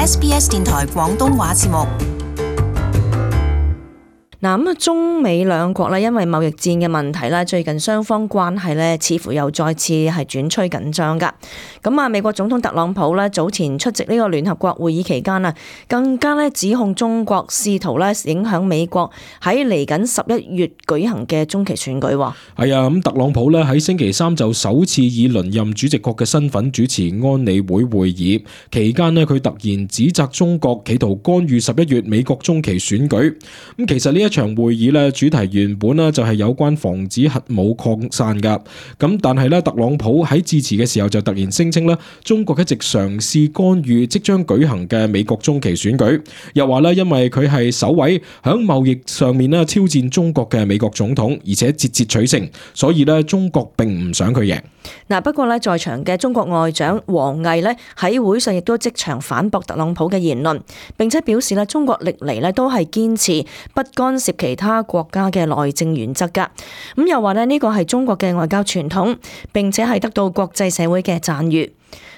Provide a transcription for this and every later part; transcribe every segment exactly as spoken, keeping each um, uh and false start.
S B S 電台廣東話節目。嗱咁啊，中美兩國咧，因為貿易戰嘅問題咧，最近雙方關係咧，似乎又再次係轉趨緊張噶。咁啊，美國總統特朗普咧早前出席呢個聯合國會議期間啊，更加咧指控中國試圖咧影響美國喺嚟緊十一月舉行嘅中期選舉。係啊，咁特朗普咧喺星期三就首次以輪任主席國嘅身份主持安理會會議期間咧，佢突然指責中國企圖干預十一月美國中期選舉。咁其實呢一場會議咧主題原本咧就係有關防止核武擴散噶，咁但係咧特朗普喺致辭嘅時候就突然聲稱咧中國一直嘗試干預即將舉行嘅美國中期選舉，又話咧因為佢係首位響貿易上面咧挑戰中國嘅美國總統，而且節節取勝，所以咧中國並唔想佢贏。嗱，不過咧在場嘅中國外長王毅咧喺會上亦都即場反駁特朗普嘅言論，並且表示咧中國歷嚟咧都係堅持不干涉其他國家嘅內政原則噶。咁又話咧呢個係中國嘅外交傳統，並且係得到國際社會嘅讚譽。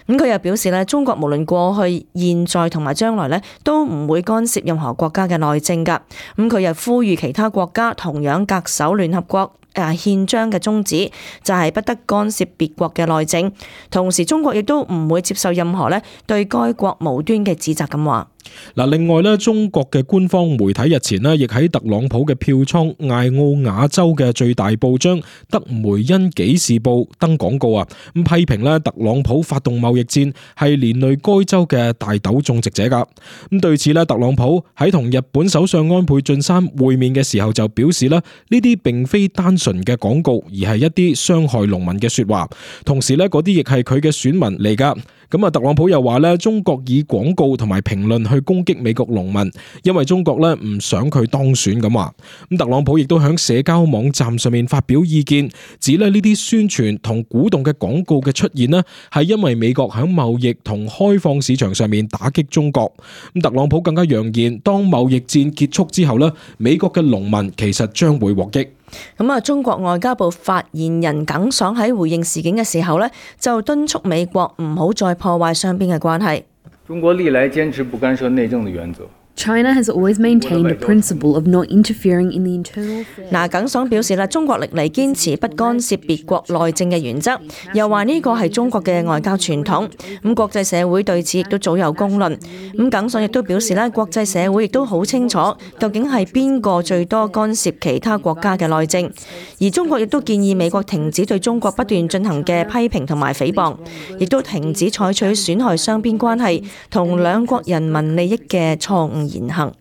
咁佢又表示咧，中國無論過去、現在同埋將來咧，都唔會干涉任何國家嘅內政噶。咁佢又呼籲其他國家同樣恪守聯合國誒憲章嘅宗旨，就係不得干涉別國嘅內政。同時，中國亦都唔會接受任何咧對該國無端嘅指責咁話。嗱，另外咧，中國嘅官方媒體日前咧，亦喺特朗普嘅票倉艾奧瓦州嘅最大報章《德梅恩紀事報》登廣告啊，咁批評咧特朗普發動貿易戰係連累該州嘅大豆種植者噶。咁對此咧，特朗普喺同日本首相安倍晉三會面嘅時候就表示咧，呢啲並非單純嘅廣告，而係一啲傷害農民嘅說話。同時咧，嗰啲亦係佢嘅選民嚟噶。咁啊，特朗普又話咧，中國以廣告同埋評論去攻擊美國農民，因為中國咧唔想佢當選咁話。咁特朗普亦都喺社交網站上面發表意見，指咧呢啲宣傳同鼓動嘅廣告嘅出現呢，係因為美國喺貿易同開放市場上面打擊中國。咁特朗普更加揚言，當貿易戰結束之後呢，美國嘅農民其實將會獲益。咁啊，中國外交部發言人耿爽喺回應事件嘅時候呢，就敦促美國唔好再破壞雙邊嘅關係。中國歷來堅持不干涉內政的原則。China has always maintained the principle of not interfering in the internal affairs. 嗱，耿爽表示啦，中國歷嚟堅持不干涉別國內政嘅原則，又話呢個係中國嘅外交傳統。咁國際社會對此亦都早有公論。咁耿爽亦都表示咧，國際社會亦都好清楚究竟係邊個最多干涉其他國家嘅內政。而中國亦都建議美國停止對中國不斷進行嘅批評同埋誹謗，亦都停止採取損害雙邊關係同兩國人民利益嘅錯誤言行。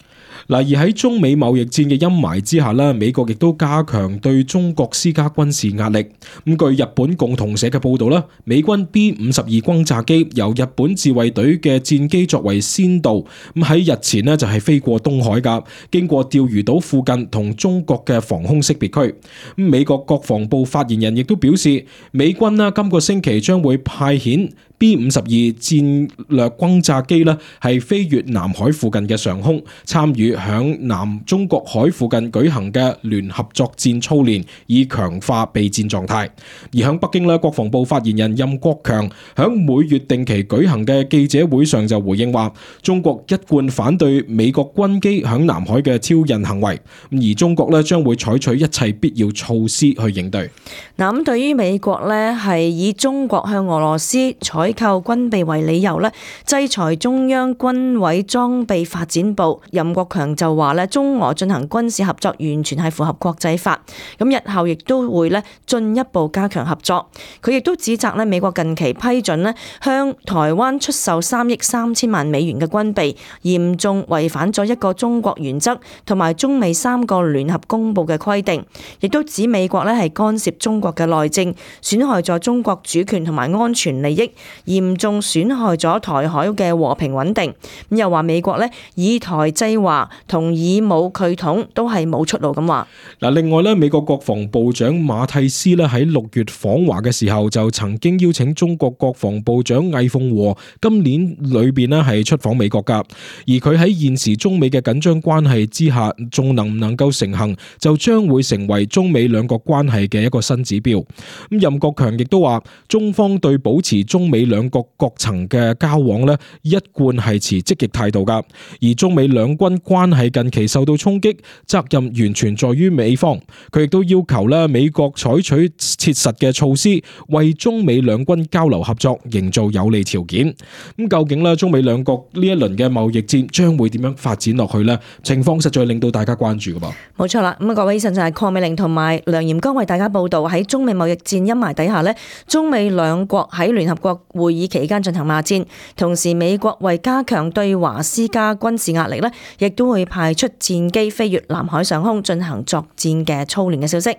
嗱，而喺中美貿易戰嘅陰霾之下咧，美國亦都加強對中國施加軍事壓力。咁據日本共同社嘅報導咧，美軍 B 五十二轟炸機由日本自衛隊嘅戰機作為先導，咁喺日前咧就係飛過東海㗎，經過釣魚島附近同中國嘅防空識別區。咁美國國防部發言人亦都表示，美軍啦今個星期將會派遣 B 五十二戰略轟炸機咧係飛越南海附近嘅上空，參與響南中國海附近舉行嘅聯合作戰操練，以強化備戰狀態。而響北京咧，國防部發言人任國強響每月定期舉行嘅記者會上就回應話，中國一貫反對美國軍機響南海嘅挑釁行為，而中國咧將會採取一切必要措施去應對。嗱，咁對於美國咧係以中國向俄羅斯採購軍備為理由咧，制裁中央軍委裝備發展部。任國強就話咧，中俄進行軍事合作完全係符合國際法，咁日後亦都會咧進一步加強合作。佢亦都指責咧美國近期批准咧向台灣出售三億三千萬美元嘅軍備，嚴重違反咗一個中國原則同埋中美三個聯合公佈嘅規定，亦都指美國咧係干涉中國嘅內政，損害咗中國主權同埋安全利益，嚴重損害咗台海嘅和平穩定。咁又話美國咧以台制華同以武拒統都係冇出路咁話。嗱，另外咧，美國國防部長馬蒂斯咧喺六月訪華嘅時候，就曾經邀請中國國防部長魏鳳和今年裏邊咧係出訪美國噶。而佢喺現時中美嘅緊張關係之下，仲能唔能夠成行，就將會成為中美兩國關係嘅一個新指標。咁任國強亦都話，中方對保持中美美兩國各層嘅交往呢，一貫係持積極態度噶。而中美兩軍關係近期受到衝擊，責任完全在於美方。佢亦都要求咧美國採取切實嘅措施，為中美兩軍交流合作營造有利條件。咁究竟咧中美兩國呢一輪嘅貿易戰將會點樣發展落去呢？情況實在令到大家關注噶噃。冇錯啦，咁啊各位，以上就係鄺美玲同埋梁炎光為大家報道，喺中美貿易戰陰霾底下呢，中美兩國喺聯合國會議期間進行罵戰，同時美國為加強對華施加軍事壓力呢，亦都會派出戰機飛越南海上空進行作戰嘅操練嘅消息。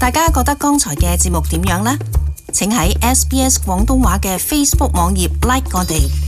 大家覺得剛才嘅節目點樣呢？請喺 S B S 廣東話嘅 Facebook 網頁 like 我哋。